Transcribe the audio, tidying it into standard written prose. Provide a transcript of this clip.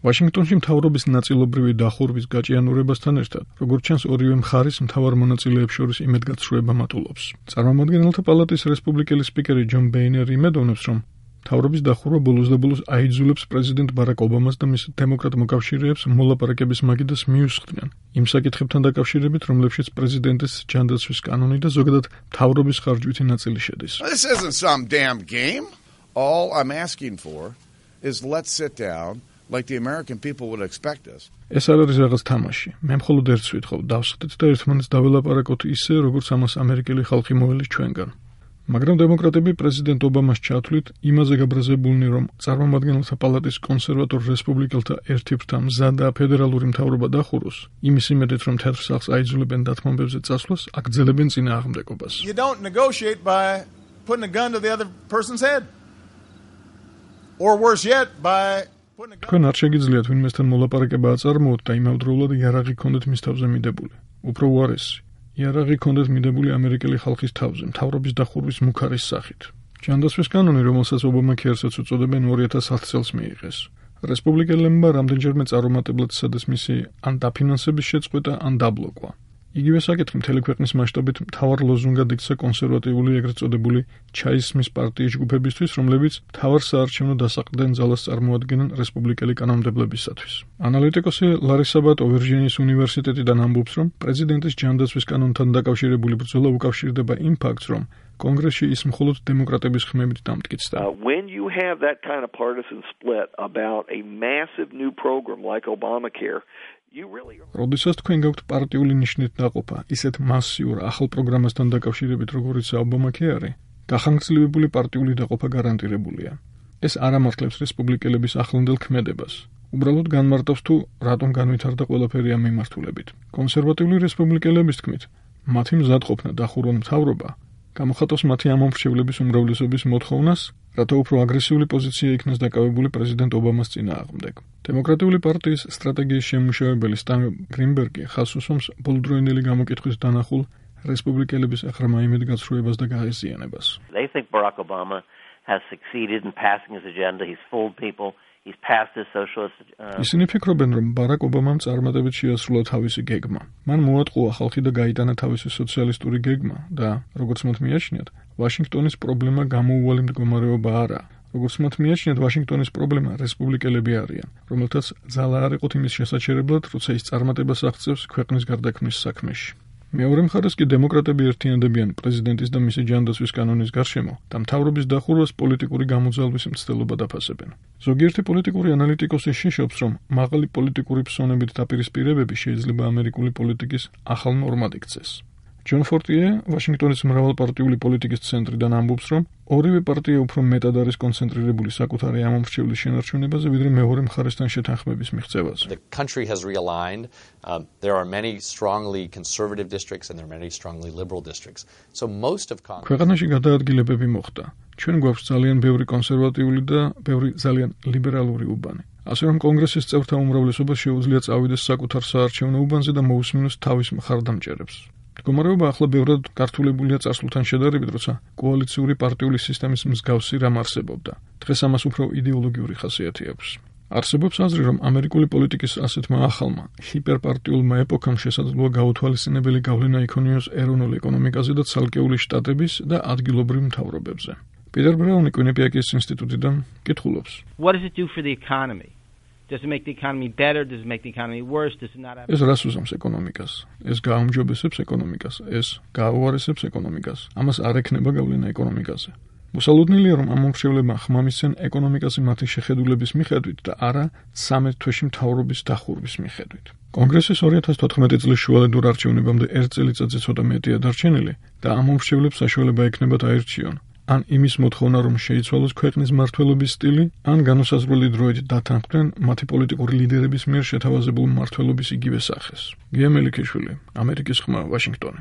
ვაშინგტონში მთავრობის ნაწილობრივი დახურვის გაჭიანურებასთან ერთად, როგორც ჩანს, ორივე მხარის მთავარ მონაწილეებს შორის იმედგაცრუება მატულობს. წარმომადგენელთა პალატის რესპუბლიკელი სპიკერი ჯონ ბეინერი იმედოვნებს, რომ მთავრობის დახურვა ბოლოს და ბოლოს აიძულებს პრეზიდენტ ბარაკ ობამას და მის დემოკრატ მოკავშირეებს მოლაპარაკების მაგიდას მიუსხდნენ იმ საკითხებთან დაკავშირებით, რომლებშიც პრეზიდენტის ჯანდაცვის კანონი და ზოგადად მთავრობის ხარჯვითი ნაწილი შედის. This isn't some damn game. All I'm asking for is let's sit down like the American people would expect us. ეს არ არის რაღაც თამაში. მე მხოლოდ ერთს ვითხოვ, დავსხდეთ და ერთმანეთს დაველაპარაკოთ ისე, როგორც ამას ამერიკელი ხალხი მოველის ჩვენგან. მაგრამ დემოკრატები პრეზიდენტ ობამას ჩათვლით იმაზე გაბრაზებულნი, რომ წარმომადგენელთა პალატის კონსერვატორ რესპუბლიკელთა ერთი ფრთა მზადაა ფედერალური მთავრობა დახუროს, იმის იმედით, რომ თეთრ სახლს აიძულებენ დათმობებზე წასვლას, აგრძელებენ წინააღმდეგობას. You don't negotiate by putting a gun to the other person's head. Or worse yet, by putting a gun. თქვენ არ შეგიძლიათ ვინმესთან მოლაპარაკება აწარმოოთ და იმავდროულად იარაღი გქონდეთ მის თავზე მიდებული. უფრო უარესი, იარაღი გქონდეთ მიდებული ამერიკელი ხალხის თავზე, მთავრობის დახურვის მუქარის სახით. ჯანდაცვის კანონი, რომელსაც ობამა ქერსაც უწოდებენ 2010 წელს მიიღეს. რესპუბლიკელებმა რამდენჯერმე წარუმატებლად სცადეს მისი ან დაფინანსების შეწყვეტა, ან დაბლოკვა. იგივე საკითხი მთელი ქვეყნის მასშტაბით მთავარ ლოზუნგად იქცა კონსერვატიული ეგრეთ წოდებული ჩაისმის პარტიის ჯგუფებისთვის, რომლებიც მთავარ საარჩევნო დასაყრდენ ძალას წარმოადგენენ რესპუბლიკელი კანონმდებლებისათვის. ანალიტიკოსი ლარი საბატო ვირჯინიის უნივერსიტეტიდან ამბობს, რომ პრეზიდენტის ჯანდაცვის კანონთან დაკავშირებული ბრძოლა უკავშირდება იმ ფაქტს, რომ კონგრესში ის მხოლოდ დემოკრატების ხმებით დამტკიცდა. When you have that kind of partisan split about a massive new program like Obamacare, როდესაც თქვენ გაქვთ პარტიული ნიშნით დაყოფა ისეთ მასიურ ახალ პროგრამასთან დაკავშირებით, როგორიცაა ობამაკეარი, გახანგრძლივებული პარტიული დაყოფა გარანტირებულია. ეს არ ამართლებს რესპუბლიკელების ახლანდელ ქმედებას. უბრალოდ განმარტავს თუ რატომ განვითარდა ყველაფერი ამ მიმართულებით. კონსერვატიული რესპუბლიკელების თქმით, მათი მზადყოფნა დახურონ მთავრობა გამოხატავს მათი ამომრჩევლების უმრავლესობის მოთხოვნას, რათა უფრო აგრესიული პოზიცია იქნას დაკავებული პრეზიდენტ ობამას წინააღმდეგ. დემოკრატიული პარტიის სტრატეგიის შემმუშავებელი სტან გრინბერგი ხაზს უსვამს ბოლოდროინდელი გამოკითხვის დანახულ რესპუბლიკელების აღრმა იმედგაცრუებას და გაეზიანებას. They think Barack Obama has succeeded in passing his agenda. He's fooled people. He's passed his socialist ისინი ფიქრობენ, რომ ბარაკ ობამამ წარმატებით შეასრულა თავისი გეგმა. მან მოატყუა ხალხი და გაიტანა თავისი სოციალისტური გეგმა და, როგორც მათ მიაჩნიათ, ვაშინგტონის პრობლემა გამოუვალი მდგომარეობა არა. როგორც მათ მიაჩნიათ, ვაშინგტონის პრობლემა რესპუბლიკელები არიან, რომელთაც ძალა არ იყოთ იმის შესაჩერებლად, როცა ის წარმატებას აღწევს ქვეყნის გარდაქმნის საქმეში. მეორე მხარეს კი დემოკრატები ერთიანდებიან პრეზიდენტის და მისი ჯანდაცვის კანონის გარშემო და მთავრობის დახურვას პოლიტიკური გამოძალვის მცდელობა დაფასებენ. ზოგიერთი პოლიტიკური ანალიტიკოსი შეშობს, რომ მაღალი პოლიტიკური ფსონებით დაპირისპირებები შეიძლება ამერიკული პოლიტიკის ახალ ნორმად იქცეს. ჯონ ფორტიე, ვაშინგტონის მრავალპარტიული პოლიტიკის ცენტრიდან ამბობს, რომ ორივე პარტია უფრო მეტად არის კონცენტრირებული საკუთარი ამომრჩევლის შენარჩუნებაზე, ვიდრე მეორე მხარესთან შეთანხმების მიღწევაზე. The country has realigned. There are many strongly conservative districts and there are many strongly liberal districts. So most of Congress ქვეყანაში გადაადგილებები მოხდა. ჩვენ გვაქვს ძალიან ბევრი კონსერვატიული და ბევრი ძალიან ლიბერალური უბანი. ასე რომ კონგრესის წევრთა უმრავლესობა შეუძლია წავიდეს საკუთარ საარჩევნო უბანზე და მოусმინოს თავის მხარდამჭერებს. მდგომარეობა ახლა ბევრად გართულებულია წარსულთან შედარებით, როცა კოალიციური პარტიული სისტემის მსგავსი რამ არსებობდა. დღეს ამას უფრო იდეოლოგიური ხასიათი აქვს. არსებობს აზრი, რომ ამერიკული პოლიტიკის ასეთმა ახალმა, ჰიპერპარტიულმა ეპოქამ შესაძლოა გაუთვალისწინებელი გავლენა იქონიოს ეროვნულ ეკონომიკაზე და ცალკეული შტატების და ადგილობრივ მთავრობებზე. პიტერ ბრაუნი კუინიპიაკის ინსტიტუტიდან კითხულობს. What does it do for the economy? Does it make the economy better? Does it make the economy worse? Does it not have... ეს რას უსამს ეკონომიკას? ეს გააუმჯობესებს ეკონომიკას, ეს გააუარესებს ეკონომიკას. ამას არ ექნება გავლენა ეკონომიკაზე. მოსალოდნელია, რომ ამომრჩევლებმა ხმა მისცენ ეკონომიკაზე მათი შეხედულების მიხედვით და არა 13 თვეში მთავრობის დახურვის მიხედვით. კონგრესის 2014 წლის შუალედურ არჩევნებამდე ერთ წელიწადზე ცოტა მეტია დარჩენილი და ამომრჩევლებს საშუალება ექნებათ აირჩიონ. ან იმის მოთხოვნა, რომ შეიცვალოს ქვეყნის მმართველობის სტილი, ან განუსაზღვრელი დროით დათანხმდნენ მათი პოლიტიკური ლიდერების მიერ შეთავაზებულ მმართველობის იგივე სახეს. გია მელიქიშვილი, ამერიკის ხმა, ვაშინგტონი.